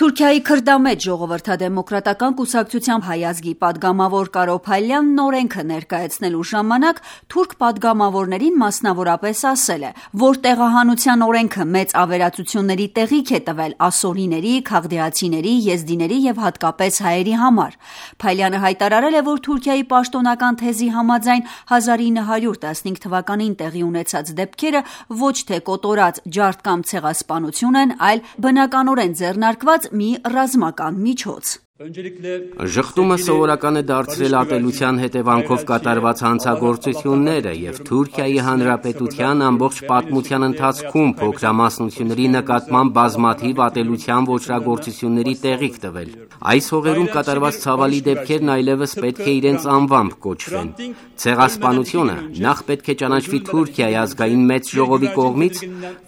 Թուրքիայի քրդամետ ժողովրդադեմոկրատական կուսակցության հայ ազգի պատգամավոր Կարո Փայլյանն օրենքը ներկայացնելու ժամանակ թուրք պատգամավորներին մասնավորապես ասել է, որ տեղահանության օրենքը մեծ ավերածությունների տեղիք է տվել ասորիների, քաղդեացիների, եզդիների եւ հատկապես հայերի համար։ Փայլյանը հայտարարել է, որ Թուրքիայի պաշտոնական թեզի համաձայն 1915 թվականին տեղի ունեցած դեպքերը ոչ թե կոտորած ջարդ կամ ցեղասպանություն են, այլ բնականորեն ձեռնարկված մի ռազմական միջոց։ Ժխտումը սովորական է դարձրել ատելության հետևանքով կատարված հանցագործությունները եւ Թուրքիայի Հանրապետության ամբողջ պատմության ընթացքում փոքրամասնությունների նկատմամբ բազմաթիվ ատելության ոճրագործությունների տեղիք տվել։ Այս հողերում կատարված ցավալի դեպքերն այլևս պետք է իրենց անվամբ կոչվեն։ Ցեղասպանությունը նախ պետք է ճանաչվի Թուրքիայի ազգային մեծ ժողովի կողմից,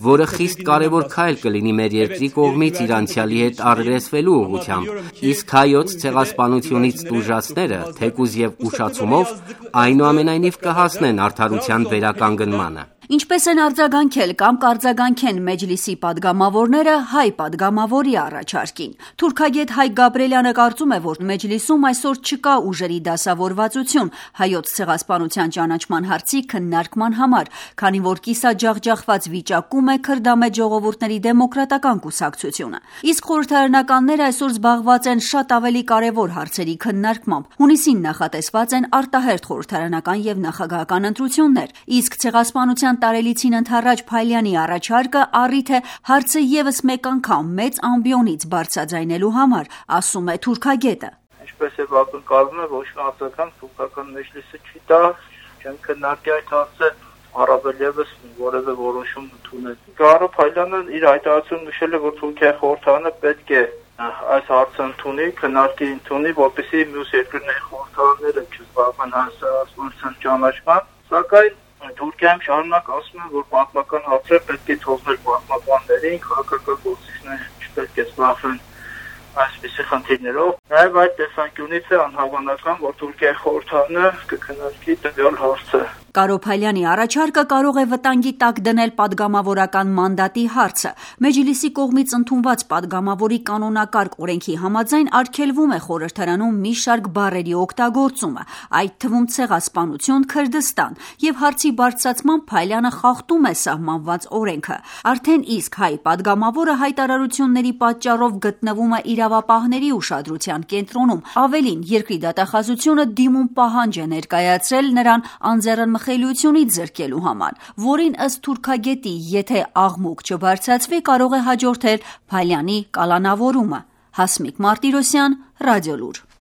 որը խիստ կարևոր քայլ կլինի մեր երկրի կողմից իր անցյալի հետ առերեսվելու ուղղությամբ, իսկ հայոց ցեղասպանությունից տուժածները, թեկուզ եւ ուշացումով, այնուամենայնիվ կհասնեն արդարության վերականգնմանը։ Ինչպես են արձագանքել կամ կարձագանքեն Մեջլիսի պատգամավորները հայ պատգամավորի առաջարկին։ Թուրքագետ Հայկ Գաբրելյանը կարծում է, որ Մեջլիսում այսօր չկա ուժերի դասավորվածություն հայոց ցեղասպանության ճանաչման հարցի քննարկման համար, քանի որ կիսաջախջախված վիճակում է քրդամետ ժողովուրդների դեմոկրատական կուսակցությունը։ Իսկ խորհրդարանականները այսօր զբաղված են շատ ավելի կարևոր հարցերի քննարկմամբ։ Հունիսին նախատեսված են արտահերթ խորհրդարանական եւ նախագահական ընտրություններ, իսկ ցեղասպանության տարելիցին ընդառաջ Փայլյանի առաջարկը առիթ է հարցը եւս մեկ անգամ մեծ ամբիոնից բարձրաձայնելու համար, ասում է թուրքագետը։ Ինչպես է ակնկալվում է, ոչ մի ազգական թուրքական մեջլիսը չի տա, չեն քննարկի այդ հարցը, առավել եւս որևէ որոշում ընդունել։ Կարո Փայլյանը իր հայտարարությունում նշել է, որ Թուրքիայի խորհրդարանը պետք է այս հարցը ընդունի, քննարկի ընդունի, որպեսզի մյուս երկրների խորհրդարանները չզբաղվեն հասարակության ճանաչմամբ, սակայն Թուրքիայում շարունակ ասում են, որ պատմական հարցերը պետք է թողնել պատմաբաններին, քաղաքական գործիչները չպետք է զբաղվեն այսպիսի խնդիրներով։ Նաև այդ տեսանկյունից է անհավանական, որ Թուրքիայի խորհրդարանը կքննարկի տվյալ հարցը։ Կարո Փայլյանի առաջարկը կարող է վտանգի տակ դնել պատգամավորական մանդատի հարցը։ Մեջլիսի կողմից ընդունված պատգամավորի կանոնակարգ օրենքի համաձայն արգելվում է խորհրդարանում մի շարք բառերի օգտագործումը, այդ թվում ցեղասպանություն, Քրդստան, եւ հարցի բարձրացման Փայլյանը խախտում է սահմանված օրենքը։ Արդեն իսկ հայ պատգամավորը հայտարարությունների պատճառով գտնվում է իրավապահների ուշադրության կենտրոնում։ Ավելին, երկրի դատախազությունը դիմում պահանջ է ներկայացրել նրան անձեռնմխելիությունից զրկելու համար, որին ըստ թուրքագետի, եթե աղմուկ չբարձրացվի, կարող է հաջորդել Փայլյանի կալանավորումը։ Հասմիկ Մարտիրոսյան, Ռադիոլուր։